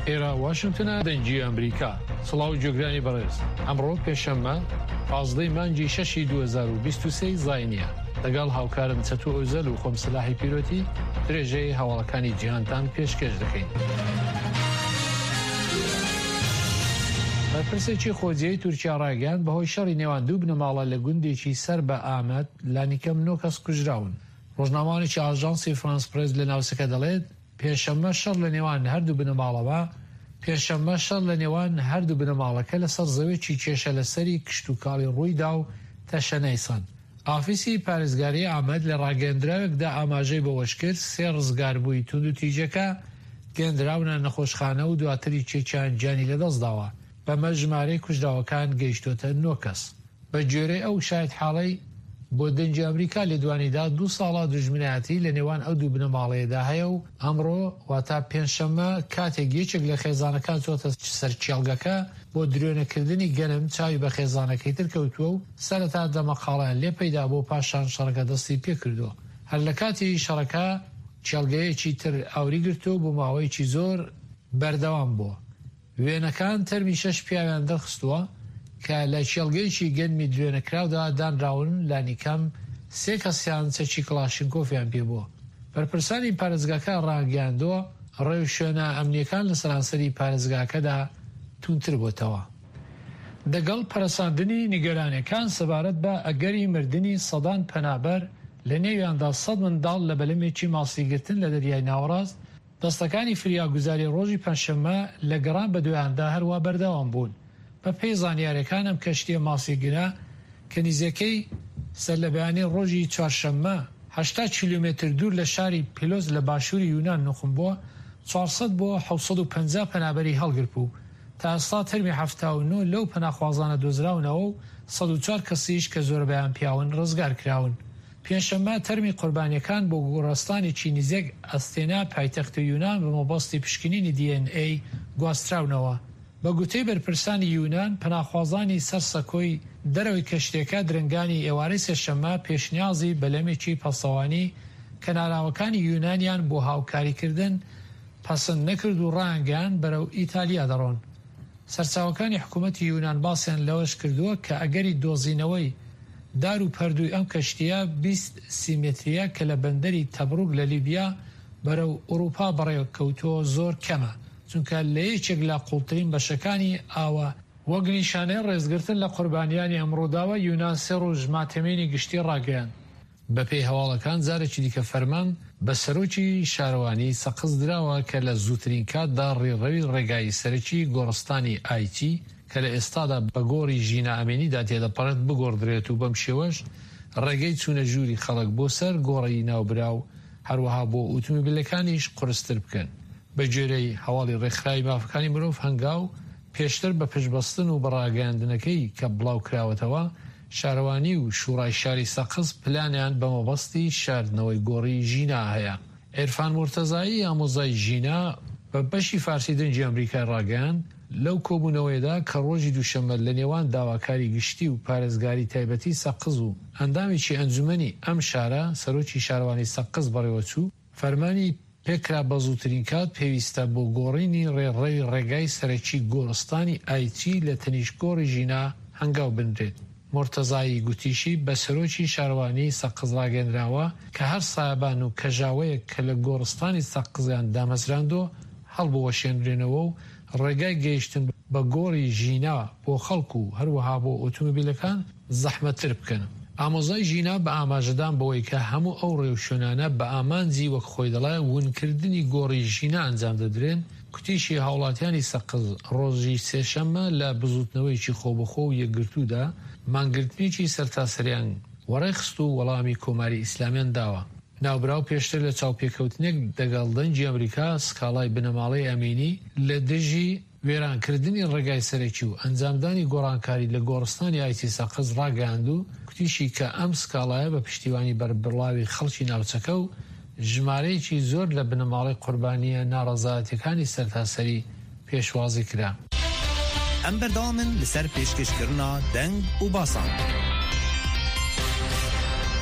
ئێرە واشنتنە دەنگی ئەمریکا. سڵاو گوێگرانی بەڕێز. ئەمڕۆ پێنجشەممە 15 مانگی شەشی 2023 زاینیە. لەگەڵ هاوکارم چەتۆ ئۆزەل و خۆم سەلاحی پیرۆتی درێژەی هەواڵەکانی جیهانتان پێشکێش دەکەین. بەرپرسێکی خۆجێی تورکیا ڕایگەیاند بەهۆی شەڕی نێوان دوو بنەماڵە لە گوندێکی سەر بە ئامەد لانیکەم نۆ کەس کوژراون. ڕۆژنامەوانێکی ئاژانسی فرانس پرێس لە ناوچەکە دەڵێت، پێنجشەممە شەڕ لە نێوان هەردوو بنەماڵەوە پێنجشەممە شەڕ لە نێوان هەردوو بنەماڵەکە لەسەر زەوێکی کێشە لەسەری کشتوکاڵی ڕوویدا و تەشەنەی سەند. ئافیسی پارێزگاری ئامەد لە ڕاگەیەندراوێکدا ئاماژەی بەوەشکرد، سێ ڕزگاربووی توندوتیژیەکە گەیەندراونە نەخۆشخانە و دواتر یەکێکیان گیانی لەدەستداوە، بەمەش ژمارەی کوژراوەکان گەیشتۆتە نۆ کەس. بەگوێرەی ئەو شایەتحاڵەی بۆ دەنگی ئەمریکا لێدوانی دا، دوو ساڵە دوژمنایەتی لە نێوان ئەو دوو بنەماڵەیەدا هەیە و ئەمڕۆ واتە پێنجشەممە کاتێک یەکێک لە خێزانەکان چۆتە سەر کێڵگەکە بۆ درێنەکردنی گەنم چاوی بە خێزانەکەی تر کەوتووە و سەرەتا دەمەقاڵەیان لێ پەیدا بووە پاشان شەڕەکە دەستی پێکردووە. هەر لە کاتی شەڕەکە کێڵگەیەکی تر ئاوری گرتووە و بۆ ماوەیەکی زۆر بەردەوام بووە. وێنەکان تەرمی شەش پیاویان دەرخستووە کە لە کێڵگەیەکی گەنمی دروێنەکراودا دانراون، لانیکەم سێ کەسیان چەکی کڵاشینکۆفیان پێبووە. بەرپرسانی پارێزگاکە ڕایانگەیاندووە، ڕێوشوێنە ئەمنییەکان لە سەرانسەری پارێزگاکەدا توندتر بۆتەوە. دەگەڵ پەرەساندنی نیگەرانیەکان سەبارەت بە ئەگەری مردنی سەدان پەنابەر لە نێویاندا سەد منداڵ لە بەلەمێکی ماسیگرتن لە دەریای ناوەڕاست، دەستەکانی فریاگوزاری ڕۆژی پەنجشەممە لە گەڕان بەدوایاندا هەروا بەردەوام بوون. بە پێی زانیاریەکان ئەم کەشتیە ماسیگرە کە نیزیکەی سەرلەبەیانی ڕۆژی چوارشەممە 80 کیلۆمەتر دوور لە شاری پیلۆس لە باشووری یونان نوقم بووە، 400 بۆ 750 پەنابەری هەڵگرتبوو. تا ئێستا تەرمی 79 لەو پەناخوازانە دۆزراونەوە و 104 کەسیش کە زۆربەیان پیاون ڕزگار کراون. پێنجشەممە تەرمی قوربانیەکان بۆ گۆڕستانێکی نزیک ئەستێنا پایتەختی یونان بە مەبەستی پشکنینی دی ئێن ئەی گواستراونەوە. بە گوتەی بەرپرسانی یونان، پەناخوازانی سەر سەکۆی دەرەوەی کەشتیەکە درەنگانی ئێوارەی سێشەممە پێشنیازی بەلەمێکی پاسەوانی کەناراوەکانی یونانیان بۆ هاوکاریکردن پەسند نەکرد و ڕایانگەیاند بەرەو ئیتالیا دەڕۆن. سەرچاوەکانی حکوومەتی یونان باسیان لەوەش کردووە کە ئەگەری دۆزینەوەی دار و پەردووی ئەم کەشتییە 20 سی مەترییە کە لە بەندەری تەبروک لە لیبیا بەرەو ئورووپا بەڕێکەوتووە زۆر کەمە چونکە لە یەکێک لە قووڵترین بەشەکانی ئاوە وەک نیشانەی ڕێزگرتن لە قوربانیانی ئەم ڕووداوە، یونان سێ ڕۆژ ماتەمینی گشتی ڕاگەیاند. بەپێی هەواڵەکان جارێکی دیکە فەرمان بە سەرۆکی شارەوانیی سەقز دراوە کە لە زووترین کاتدا ڕێڕەوی ڕێگای سەرەکی گۆڕستانی ئایچی کە لە ئێستادا بە گۆڕی ژینا ئەمینیدا تێدەپەڕێت بگۆڕدرێت و بەم شێوەش ڕێگەی چوونە ژووری خەڵک بۆ سەر گۆڕی ناوبراو هەروەها بۆ ئوتومبیلەکانیش قورستر بکەن. بەگوێرەی هەواڵی ڕێکخراوی مافەکانی مرۆڤ هەنگاو، پێشتر بە پشتبەستن و بە ڕاگەیاندنەکەی کە بڵاو کراوەتەوە، شارەوانی و شوڕای شاری سەقز پلانیان بە مەبەستی شاردنەوەی گۆڕی ژینا هەیە. عیرفان مورتەزایی ئامۆزای ژینا بە بەشی فارسی دەنگی ئەمریکای ڕاگەیاند، لەو کۆبوونەوەیەدا کە ڕۆژی دووشەممە لە نێوان داواکاری گشتی و پارێزگاری تایبەتی سەقز و ئەندامێکی ئەنجومەنی ئەم شارە، سەرۆکی شارەوانی سەقز بەڕێوەچوو، فەرمانی پێکرا بەزووترین کات پێویستە بۆ گۆڕینی ڕێڕەوی ڕێگای سەرەکی گۆڕستانی ئایچی لە تەنیشت گۆڕی ژینا هەنگاو بنرێت. مورتەزایی گوتیشی، بە سەرۆکی شارەوانیی سەقز ڕاگەیەنراوە کە هەر سایەبان و کەژاوەیەک کە لە گۆڕستانی سەقزیان دامەزراندووە هەڵبوەشێنرێنەوە و ڕێگای گەیشتن بە گۆڕی ژینا بۆ خەڵک و هەروەها بۆ ئۆتۆمۆبیلەکان زەحمەتتر بکەن. ئامۆزای ژینا بە ئاماژەدان بەوەی کە هەموو ئەو ڕێوشوێنانە بە ئامانجی وەک خۆی دەڵێ ونکردنی گۆڕی ژینا ئەنجام دەدرێن، کوتیشی هاوڵاتیانی سەقز ڕۆژی سێشەممە لە بزووتنەوەیەکی خۆبەخۆ و یەکگرتوودا مانگرتنێکی سەرتاسەریان وەڕێخست و وەڵامی کۆماری ئیسلامیان داوە. ناوبراو پێشتر لە چاوپێکەوتنێک دەگەڵ دەنگی ئەمریکا سکاڵای بنەماڵەی ئەمینی لە دژی وێرانکردنی ڕێگای سەرەکی و ئەنجامدانی گۆڕانکاری لە گۆڕستانی ئایچی سەقز ڕاگەیاند و کوتیشی کە ئەم سکاڵایە بە پشتیوانی بەربڵاوی خەڵکی ناوچەکە و ژمارەیەکی زۆر لە بنەماڵەی قوربانییە ناڕەزایەتیەکانی سەرتاسەری پێشوازی کرا. ئەم بەردەوامن لەسەر پێشکەشکردنا دەنگ و باسان.